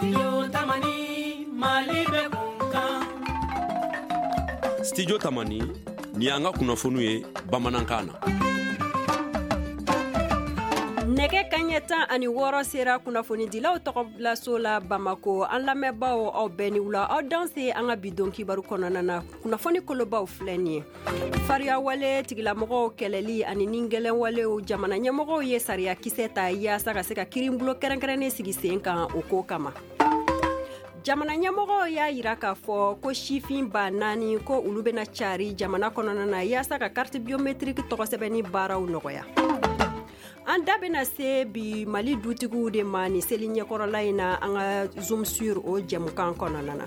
Studio Tamani, Mali bɛ kun. Studio Tamani, nin y'an ka kunnafoniw ye bamanankan na. Nɛgɛ kaɲɛ 16 sera kunnafonidilaw tɔgɔbilaso la Bamako. An lamɛnbaaw, aw bɛɛ ni wula, aw danse an ka bi don kibaru kɔnɔna na. Kunnafoni kolobaw filɛ nin ye: fariyawale tigilamɔgɔw kɛlɛli ani ni gɛlɛnwalew, jamana ɲɛmɔgɔw ye sariya kisɛ ta yaasa ka se ka kiiribulon kɛrɛnkɛrɛnnen sigi sen kan o ko kama. Jamana ɲɛmɔgɔw y'a yira k'a fɔ ko sifin 4000 ko olu bɛna cari jamana kɔnɔna na yaasa ka carte biométrique tɔgɔsɛbɛnni baaraw nɔgɔya. An da bɛna se bi Mali dutigiw de ma nin seli ɲɛkɔrɔla in na an ka Zoom sur o jɛmukan kɔnɔna na.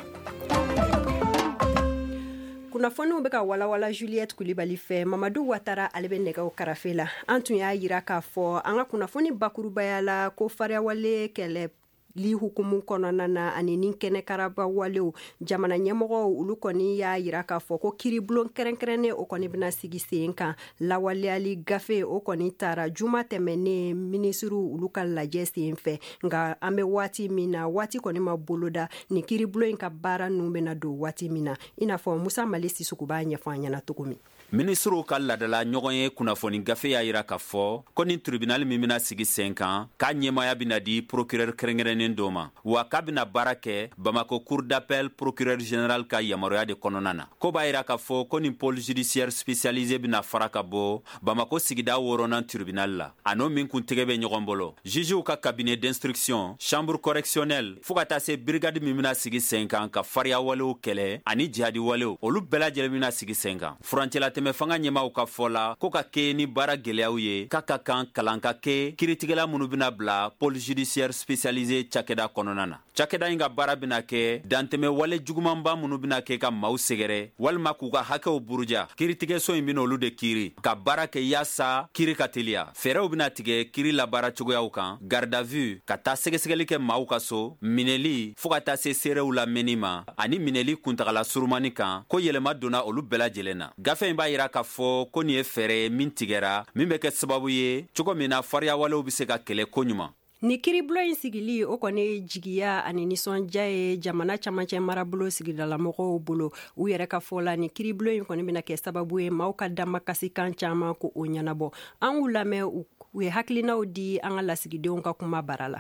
Kunnafoniw bɛ ka walawala Juliette Kulibali fɛ, Mamadu Watara ale bɛ nɛgɛw karafe la. An tun y'a yira k'a fɔ an ka kunnafoni bakurubaya la ko fariyawale kɛlɛ li hukumu kɔnɔna na ani ni kɛnɛkaraba walew, jamana ɲɛmɔgɔw olu kɔni y'a yira k'a fɔ ko kiiribulon kɛrɛnkɛrɛnnen o kɔni bɛna sigi sen kan. Lawaleyali gafe o kɔni taara juma tɛmɛnen minisiriw olu ka lajɛ sen fɛ, nka an bɛ waati min na, waati kɔni ma boloda nin kiiribulon in ka baara ninnu bɛna don waati min na, i n'a fɔ Musa Mali Sisoko b'a ɲɛfɔ an ɲɛna cogo min. Minisiriw ka ladala ɲɔgɔn ye kunnafoni gafe y'a yira k'a fɔ ko nin tribunal min bɛna sigi sen kan, k'a ɲɛmaya bɛna di procureur kɛrɛnkɛrɛnnen dɔ ma, wa k'a bɛna baara kɛ Bamako cour d'appel procureur général ka yamaruya de kɔnɔna na. Ko b'a yira k'a fɔ ko nin pôle judiciaire spécialisé bɛna fara ka bɔ Bamako sigida wɔɔrɔnan tribunal la, a n'o min kuntigɛ bɛ ɲɔgɔn bolo, jugew ka cabinet d'instruction, chambre correctionnelle, fɔɔ ka taa se brigade min bɛna sigi sen kan ka fariya walew kɛlɛ ani jihadi walew, olu bɛɛ lajɛlen bɛna sigi sen kan. Furancɛlatɛmɛ fanga ɲɛmaw ka fɔ la ko ka kɛ ni baara gwɛlɛyaw ye, k'a ka kan kalan ka kɛ kiritigɛla minnu bɛna bila pôle judiciaire spécialisé cakɛda kɔnɔna na. Cakɛda in ka baara bɛna kɛ dantɛmɛ wale jugumanba minnu bɛna kɛ ka maaw sɛgɛrɛ walima k'u ka hakɛw buruja, kiritigɛso in bɛna olu de kiiri ka baara kɛ yaasa kiri ka teliya. Fɛɛrɛw bɛna tigɛ kiri labaara cogoyaw kan, garde à vue, ka taa sɛgɛsɛgɛli kɛ maaw ka so, minɛli, fɔɔ ka taa se seerew lamɛnni ma, ani minɛli kuntagala surumani kan, ko yɛlɛma donna olu bɛɛ lajɛlen na. Gafe in b'a yira k'a fɔ ko nin ye fɛɛrɛ ye min tigɛra, min bɛ kɛ sababu ye cogo min na fariyawalew bɛ se ka kɛlɛ koɲuman. Ni kiiribulon in sigili o kɔni jigiya ani nisɔndiya ye jamana camancɛ marabolo sigidalamɔgɔw bolo. U yɛrɛ ka fɔ la, ni kiiribulon in kɔni bɛna kɛ sababu ye maaw ka damakasikan caman ko o ɲɛnabɔ. An k'u lamɛn, u ye hakilinaw di an ka lasigidenw ka kuma bara la.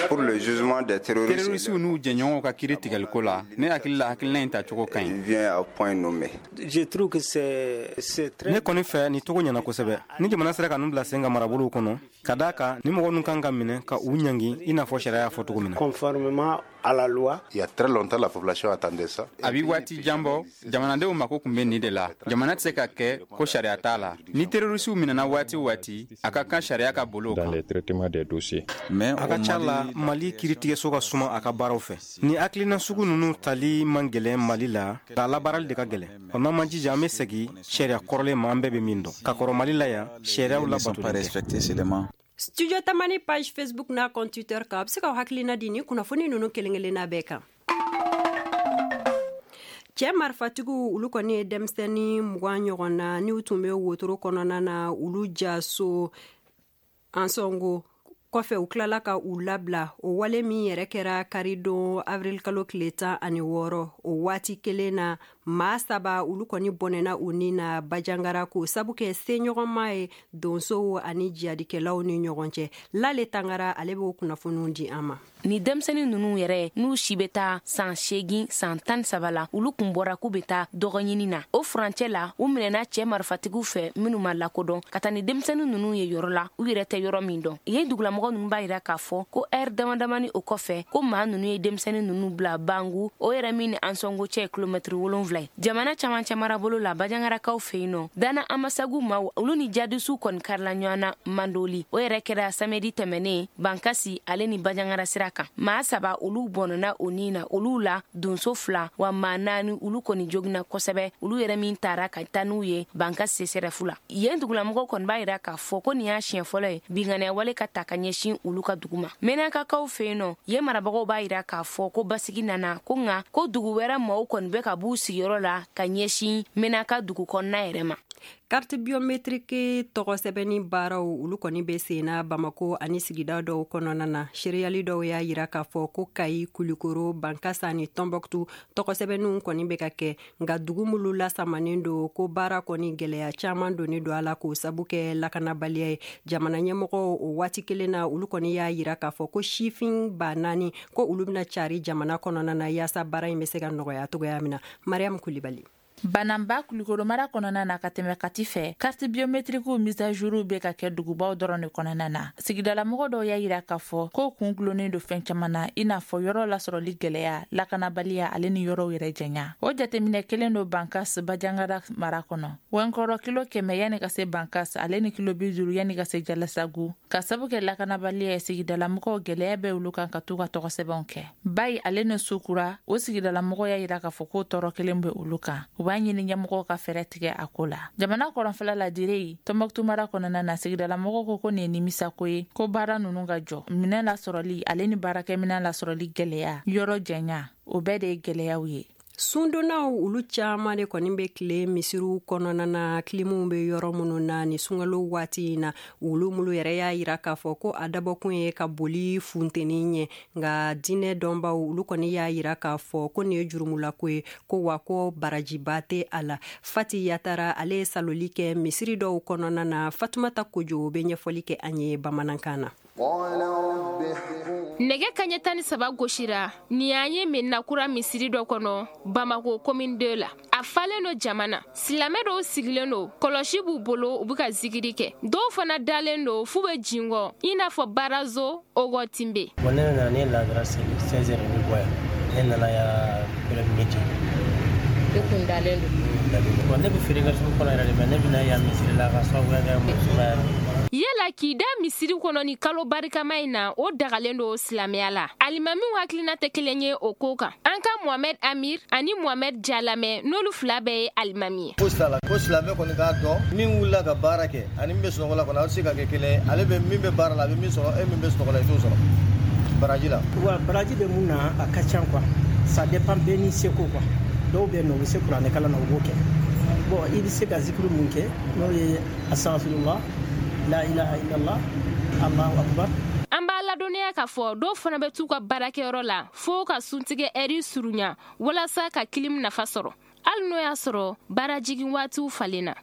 Pour le jugement des terroristes. Terrorisiw n'u jɛɲɔgɔnw ka kiri tigɛliko la, ne hakili la, hakilina in tacogo ka ɲi. Vient à point nommé. Je trouve que c'est très Ne kɔni fɛ, nin cogo ɲɛna kosɛbɛ. Ni jamana sera ka ninnu bila sen ka marabolow kɔnɔ, ka d'a kan ni mɔgɔ ninnu kan ka minɛ ka u ɲangi i n'a fɔ sariya y'a fɔ cogo min na. Conformément à la loi. Il y a très longtemps, la population attendait ça. A bi waati jan bɔ, jamanadenw mako tun bɛ nin de la. Jamana tɛ se ka kɛ ko sariya t'a la. Ni terrorisiw minɛna waati o waati, a ka kan sariya ka boli o Dans kan. les traitements des dossiers. Mais A ka ca la, Mali kiiritigɛso ka suma a ka baaraw fɛ. Ni hakilina sugu ninnu tali man gɛlɛn Mali la, nka a labaarali de ka gɛlɛn. Ɔ, n'an ma jija, an bɛ segin sariya kɔrɔlen ma an bɛɛ bɛ min dɔn. Ka kɔrɔ Mali la yan, sariyaw ne sont pas labatolen tɛ. respectés seulement. Studio Tamani page Facebook n'a compte Twitter kan, a bɛ se k'aw hakilina di ni kunnafoni ninnu kelen kelenna bɛɛ kan. Cɛ marifatigiw olu kɔni ye denmisɛnnin 20 ɲɔgɔn na n'u tun bɛ wotoro kɔnɔna na, olu jaso Ansongo kɔfɛ, u tilala ka u labila. O wale min yɛrɛ kɛra karidon avril kalo tile 16, o waati kelen na, maa saba olu kɔni bɔnɛna u ni na Bajangara, k'o sabu kɛ seɲɔgɔnma ye donsow ani jihadikɛlaw ni ɲɔgɔn cɛ. Lale Tangara ale b'o kunnafoniw di an ma. Ni denmisɛnnin ninnu yɛrɛ, n'u si bɛ taa san 8, san 13 la, olu kun bɔra k'u bɛ taa dɔgɔɲini na. O furancɛ la, u minɛna cɛɛ marifatigiw fɛ minnu ma lakodɔn, ka taa ni denmisɛnnin ninnu ye yɔrɔ la u yɛrɛ tɛ yɔrɔ min dɔn. Yen dugulamɔgɔ ninnu b'a yira k'a fɔ ko ɛri dama damani o kɔfɛ, ko maa ninnu ye denmisɛnnin ninnu bila Bangu, o yɛrɛ min ni Ansɔngo cɛ ye kilomɛtiri 7 ye jamana camancɛ marabolo la. Bajangarakaw fɛ yen nɔ, Dana Amasagu maaw, olu ni jadisuw kɔni karila ɲɔgɔn na Mandoli. O yɛrɛ kɛra samedi tɛmɛnen Bankasi ale ni Bajangara sira kan. Maa saba olu bɔnɔna o ni na, olu la donso fila, wa maa naani olu kɔni jogina kosɛbɛ, olu yɛrɛ min taara ka taa n'u ye Bankasi CSRéf la. Yen dugulamɔgɔw kɔni b'a yira k'a fɔ ko nin y'a siɲɛ fɔlɔ ye binkanniya wale ka ta ka ɲɛsin olu ka dugu ma. Menakakaw fɛ yen nɔ, yen marabagaw b'a yira k'a fɔ ko basigi nana, ko nka ko dugu wɛrɛ maaw kɔni bɛ ka b'u sigiyɔrɔ la ka ɲɛsin Menaka dugu kɔnɔna yɛrɛ ma. Carte biométrique tɔgɔ sɛbɛnni baaraw olu kɔni bɛ sen na Bamako ani sigida dɔw kɔnɔna na. Seereyali dɔw y'a yira k'a fɔ ko Kayi, Kulikoro, Bankasa ni Tɔnbɔkutu tɔgɔ sɛbɛnniw kɔni bɛ ka kɛ, nka dugu minnu lasamanen don ko baara kɔni gɛlɛya caman donnen don a la k'o sabu kɛ lakanabaliya ye. Jamana ɲɛmɔgɔw o waati kelen na olu kɔni y'a yira k'a fɔ ko sifin 4000 ko olu bɛna cari jamana kɔnɔna na yaasa baara in bɛ se ka nɔgɔya cogoya min na. Mariam Kulibali. Bananba Kulikoro mara kɔnɔna na ka tɛmɛ Kati fɛ, carte biométrique mise à jour bɛ ka kɛ dugubaw dɔrɔn de kɔnɔna na. Sigidalamɔgɔ dɔw y'a yira k'a fɔ ko kun gulonnen don fɛn caman na, i n'a fɔ yɔrɔ lasɔrɔli gɛlɛya, lakanabaliya ale ni yɔrɔw yɛrɛ janya. O jateminɛ kelen don Bankas Bajangara mara kɔnɔ. Wɛnkɔrɔ kilo 100 yanni ka se Bankas ale ni kilo 50 yanni ka se Jalasagu. Ka sabu kɛ lakanabaliya ye, sigidalamɔgɔw gɛlɛya bɛ olu kan ka t'u ka tɔgɔ sɛbɛnw kɛ. Bayi ale ni Sukura, o sigidalamɔgɔ y'a yira k'a fɔ k'o tɔɔrɔ kelen bɛ olu kan. U b'a ɲini ɲɛmɔgɔw ka fɛɛrɛ tigɛ a ko la. Jamana kɔrɔnfɛla la Dire, Tɔnbɔkutu mara kɔnɔna na, sigidalamɔgɔw ko nin ye nimisako ye, ko baara ninnu ka jɔ. Minɛn lasɔrɔli ale ni baarakɛminɛn lasɔrɔli gɛlɛya, yɔrɔ janya, o bɛɛ de ye gɛlɛyaw ye. Sundonnaw olu caman de kɔni bɛ tile misiriw kɔnɔna na, kilimuw bɛ yɔrɔ minnu na ni sunkalo waati in na. Olu minnu yɛrɛ y'a yira k'a fɔ ko a dabɔkun ye ka boli funteni ɲɛ, nka diinɛ dɔnbaw olu kɔni y'a yira k'a fɔ ko nin ye jurumulako ye, ko wa ko barajiba tɛ a la. Fati Yatara ale ye saloli kɛ misiri dɔw kɔnɔna na. Fatumata Kojo bɛ ɲɛfɔli kɛ an ye bamanankan na. Nɛgɛ kaɲɛ 13 gosira nin y'an ye Mɛnakura misiri dɔ kɔnɔ Bamako commune 2 la. A falen don jama na. Silamɛ dɔw sigilen don, kɔlɔsi b'u bolo, u bɛ ka zikiri kɛ. Dɔw fana dalen don f'u bɛ jingɔ i n'a fɔ Barazo Ogotimbe. Bon, ne nana ne lazara seli 16h ne bɔ yan. Ne nana yan midi. I kun dalen don. Bon, ne bɛ feere kɛ sugu kɔnɔ yɛrɛ de, mais ne bɛna yan misiri la ka sababuya kɛ muso la. Yala k'i da misiri kɔnɔ ni kalo barikama in na, o dagalen don silamɛya la. Alimamiw hakilina tɛ kelen ye o ko kan. An ka Mohamed Amir ani Mohamed Jalamɛ, n'olu fila bɛɛ ye alimami ye. Ko silamɛ kɔni k'a dɔn min wulila ka baara kɛ ani min bɛ sunɔgɔ la kɔni, aw tɛ se ka kɛ kelen ye. Ale bɛ min bɛ baara la, a bɛ min sɔrɔ, e min bɛ sunɔgɔ la, i t'o sɔrɔ baraji la. Wa baraji bɛ mun na, a ka ca quoi. Ça dépend bɛɛ n'i seko quoi. Dɔw bɛ yen nɔ, u bɛ se kuranɛkalan na, u b'o kɛ. Bon, i bɛ se ka zikiri mun kɛ, n'o ye astaghfirullah, la ilaha illallah, Allahu akbar. An b'a ladɔnniya k'a fɔ dɔw fana bɛ t'u ka baarakɛyɔrɔ la fo ka suntigɛ ɛri surunya walasa ka kilim nafa sɔrɔ, hali n'o y'a sɔrɔ baarajigin waatiw falenna.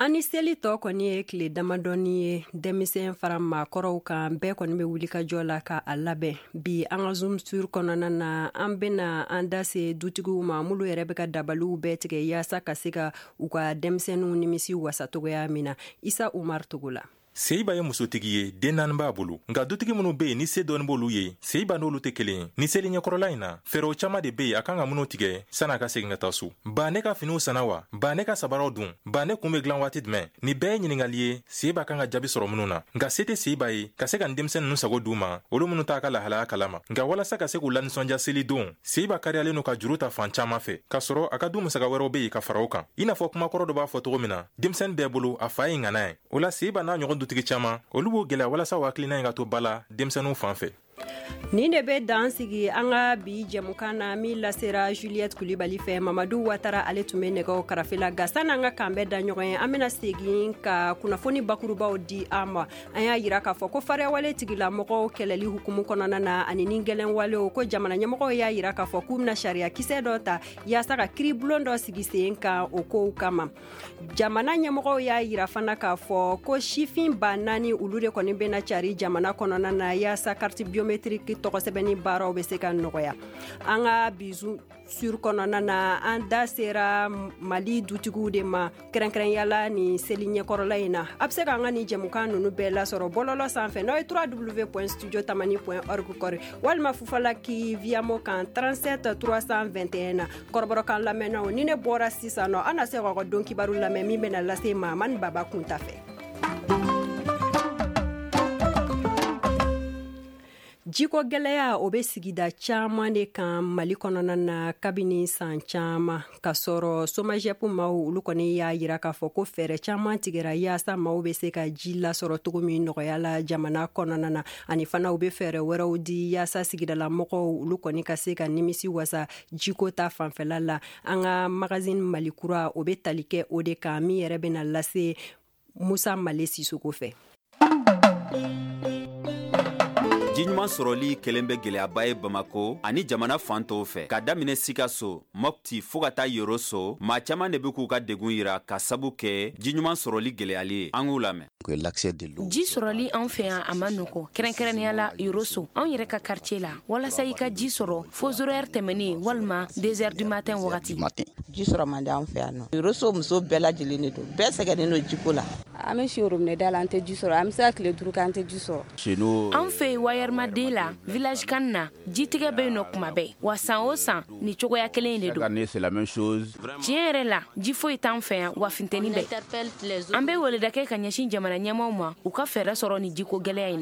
An ni seli tɔ kɔni ye tile damadɔni ye, denmisɛn fara maakɔrɔw kan, bɛɛ kɔni bɛ wuli ka jɔ la ka a labɛn. Bi an ka Zoom sur kɔnɔna na, an bɛna an da se dutigiw ma minnu yɛrɛ bɛ ka dabaliw bɛɛ tigɛ yaasa ka se ka u ka denmisɛnninw nimisi wasa cogoya min na. Isa Umar Togo la. Seiba ye musotigi ye, den 4 b'a bolo. Nka dutigi minnu be yen ni se dɔɔni b'olu ye, Seiba n'olu tɛ kelen ye. Ni seli ɲɛkɔrɔla in na, fɛɛrɛw caman de be yen a kan ka minnu tigɛ san'a ka segin ka taa so. Ba ne ka finiw sanna wa? Ba ne ka sabaraw dun? Ba ne kun be dilan waati jumɛn? Nin bɛɛ ye ɲiningali ye Seiba kan ka jaabi sɔrɔ minnu na. Nka se tɛ Seiba ye ka se ka nin denmisɛn ninnu sago d'u ma, olu minnu t'a ka lahalaya kalama. Nka walasa ka se k'u lanisɔndiya seli don, Seiba kariyalen don ka juru ta fan caman fɛ, k'a sɔrɔ a ka du musaka wɛrɛw be yen ka fara o kan. I n'a fɔ kumakɔrɔ dɔ b'a fɔ cogo min na, denmisɛnnin bɛɛ bolo a fa ye ŋana ye. O la Seiba n'a ɲɔgɔn dutigi caman, olu b'o gɛlɛya walasa o hakilina in ka to ba la denmisɛnninw fan fɛ. Nin de bɛ dan sigi an ka bi jɛmukan na min lasera Juliette Kulibali fɛ. Mamadu Watara ale tun bɛ nɛgɛw karafe la. Nka sanni an ka kan bɛɛ da ɲɔgɔn ye, an bɛna segin ka kunnafoni bakurubaw di an ma. An y'a yira k'a fɔ ko fariyawale tigilamɔgɔw kɛlɛli hukumu kɔnɔna na ani ni gɛlɛnwalew, ko jamana ɲɛmɔgɔw y'a yira k'a fɔ k'u bɛna sariya kisɛ dɔ ta yaasa ka kiiribulon dɔ sigi sen kan o kow kama. Jamana ɲɛmɔgɔw y'a yira fana k'a fɔ ko sifin 4000 olu de kɔni bɛna cari jamana kɔnɔna na yaasa carte biométrique tɔgɔ sɛbɛnni baaraw bɛ se ka nɔgɔya. An ka bi sur kɔnɔna na, an da sera Mali dutigiw de ma kɛrɛnkɛrɛnyala ni seli ɲɛkɔrɔla in na. A bɛ se k'an ka nin jɛmukan ninnu bɛɛ lasɔrɔ bɔlɔlɔ sanfɛ n'aw ye www.studiotamani.org kɔri, walima Fufalaki Viamo kan 37 321 na. Kɔrɔbɔrɔkan lamɛnnaw, ni ne bɔra sisan nɔ, an na se k'aw ka don kibaru lamɛn min bɛna lase Mahamani Baba Kunta fɛ. Jiko gɛlɛya o bɛ sigida caman de kan Mali kɔnɔna na kabini san caman, ka sɔrɔ SOMAGEP maaw olu kɔni y'a yira k'a fɔ ko fɛɛrɛ caman tigɛra yaasa maaw bɛ se ka ji lasɔrɔ cogo min nɔgɔya la jamana kɔnɔna na, ani fana u bɛ fɛɛrɛ wɛrɛw di yaasa sigidala mɔgɔw olu kɔni ka se ka nimisi wasa jiko ta fanfɛla la. An ka magazine Mali Kura o bɛ tali kɛ o de kan, min yɛrɛ bɛna lase Musa Male Sisoko fɛ. Ji ɲuman sɔrɔli kɛlen bɛ gɛlɛyaba ye Bamako ani jamana fan tɔw fɛ, ka daminɛ Sikaso, Mopti fɔɔ ka taa Yoroso. Maa caman de be k'u ka degun yira ka sabu kɛ ji ɲuman sɔrɔli gɛlɛyali ye. An k'u lamɛn. Ji sɔrɔli an fɛ yan a ma nɔgɔ, kɛrɛnkɛrɛnnenya la Yoroso, anw yɛrɛ ka quartier la. Walasa i ka ji sɔrɔ fo 0 heure tɛmɛnen walima 2 heures du matin wagati. Ji sɔrɔ man di an fɛ yan nɔ. Yoroso muso bɛɛ lajɛlen de don, bɛɛ sɛgɛnnen don jiko la. An bɛ si robinet da la, an tɛ ji sɔrɔ. An bɛ se ka tile 5 kɛ an tɛ ji sɔrɔ. An fɛ yen Wayɛrɛmaden la, village kan na, jitigɛ bɛ yen nɔ kuma bɛɛ. Wa san o san ni cogoya kelen in de don. Tiɲɛ yɛrɛ la, ji foyi t'an fɛ yan, wa funteni bɛ. An bɛ weleda kɛ ka ɲɛsin jamana ɲɛmaaw ma, u ka fɛɛrɛ sɔrɔ ni jiko gɛlɛya in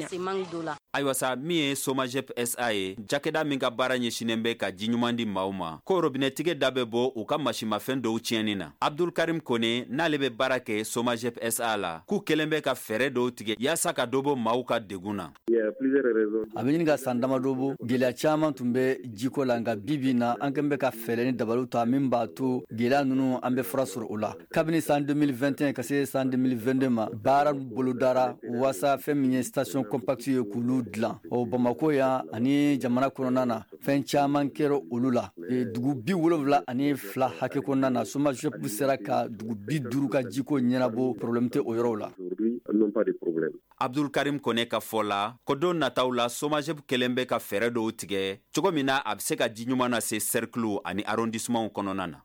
na. Ayiwa sa, min ye SOMAGEP SA ye, cakɛda min ka baara ɲɛsinnen bɛ ka ji ɲuman di maaw ma, ko robinɛtigɛ da bɛ bɔ u ka masimafɛn dɔw tiɲɛni na. Abdul Karim Kone n'ale bɛ baara kɛ SOMAGEP SA la, k'u kɛlen bɛ ka fɛɛrɛ dɔw tigɛ yaasa ka dɔ bɔ maaw ka degun na. A bɛ ɲini ka san damadɔ bɔ, gɛlɛya caman tun bɛ jiko la, nka bi bi na an kɛlen bɛ ka fɛɛrɛ ni dabaliw ta min b'a to gɛlɛya ninnu an bɛ fura sɔrɔ o la. Kabini san 2021 ka se san 2022 ma, baara bolodara waasa fɛn min ye station compacte ye k'olu dilan. O Bamako yan ani jamana kɔnɔna na, fɛn caman kɛra olu la. Dugu 72 hakɛ kɔnɔna na, SOMAGEP sera ka dugu 50 ka jiko ɲɛnabɔ, problème tɛ o yɔrɔw la. Abdul Karim Kone ka fɔ la, ko don nataw la SOMAGEP kɛlen bɛ ka fɛɛrɛ dɔw tigɛ cogo min na a bɛ se ka ji ɲuman lase cercle ani arrondissement kɔnɔna na.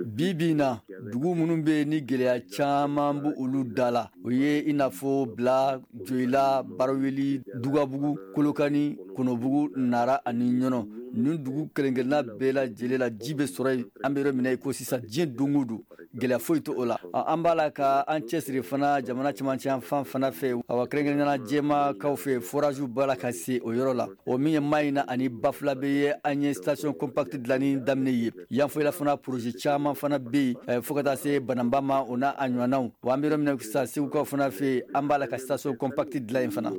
Bi bi na, dugu minnu bɛ ni gɛlɛya caman b'u olu da la, o ye i n'a fɔ Bila, Joyila, Baraweli, Dugabugu, Kolokani, Kɔnɔbugu, Nara ani Ɲɔnɔ. Nin dugu kelen-kelenna bɛɛ lajɛlen la, ji bɛ sɔrɔ yen. An bɛ yɔrɔ min na i ko sisan, diɲɛ don o don, gɛlɛya foyi tɛ o la. An b'a la ka an cɛsiri fana jamana cɛmancɛ fan fana fɛ, awa kɛrɛnkɛrɛnnenya jɛmakaw fɛ, forage b'a la ka se o yɔrɔ la. O min ye Mayina ani Bafulabe ye, an ye station compacte dilanni daminɛ ye. Yanfolila fana projet caman fana bɛ yen, fo ka taa se Bananba ma, o n'a a ɲɔgɔnnaw. Wa an bɛ yɔrɔ min na sisan, Segukaw fana fɛ yen, an b'a la ka station compacte dilan yen fana.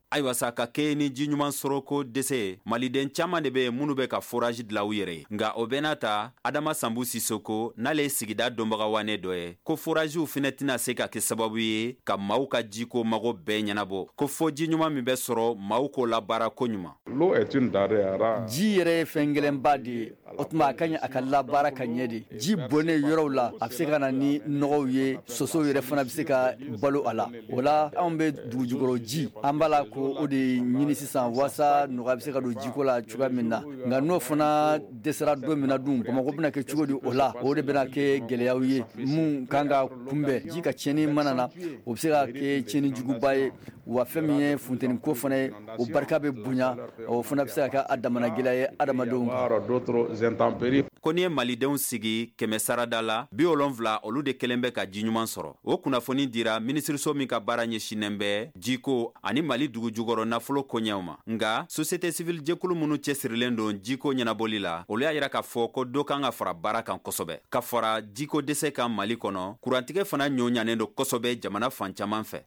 Ayiwa sa, ka kɛ ni ji ɲuman sɔrɔko dɛsɛ ye, maliden caman de bɛ yen minnu bɛ ka forage dilan u yɛrɛ ye. Nka o bɛɛ n'a ta, Adama Sanbu Sisoko n'ale ye sigida dɔnbagawane dɔ ye, ko foragew fɛnɛ tɛna se ka kɛ sababu ye ka maaw ka jiko mago bɛɛ ɲɛnabɔ, ko fo ji ɲuman min bɛ sɔrɔ maaw k'o labaara ko ɲuman. Ji yɛrɛ ye fɛn gɛlɛnba de ye, o tuma a ka ɲi a ka labaara ka ɲɛ de. Ji bɔnnen yɔrɔw la, a bɛ se ka na ni nɔgɔw ye, sosow yɛrɛ fana bɛ se ka balo a la. O la anw bɛ dugujukɔrɔ ji, an b'a la ko o de ɲini sisan waasa nɔgɔya bɛ se ka don jiko la cogoya min na. Nka n'o fana dɛsɛra don min na dun, Bamakɔ bɛna kɛ cogo di o la? O de bɛna kɛ gɛlɛyaw ye mun kan ka kunbɛn. Ji ka tiɲɛni mana na, o bɛ se ka kɛ tiɲɛni juguba ye. Wa fɛn min ye funteni ko fana ye, o barika bɛ bonya, o fana bɛ se ka kɛ a damana gɛlɛya ye adamadenw kan. Ko n'i ye malidenw sigi 100 sarada la, 70 olu de kɛlen bɛ ka ji ɲuman sɔrɔ. O kunnafoni dira minisiriso min ka baara ɲɛsinnen bɛ jiko ani Mali dugu jukɔrɔ nafolo koɲɛw ma. Nka société civile jɛkulu minnu cɛsirilen don jiko ɲɛnabɔli la, olu y'a yira k'a fɔ ko dɔ kan ka fara baara kan kosɛbɛ. Ka fara jiko dɛsɛ kan Mali kɔnɔ, kurantigɛ fana ɲɔ ɲanen don kosɛbɛ jamana fan caman fɛ.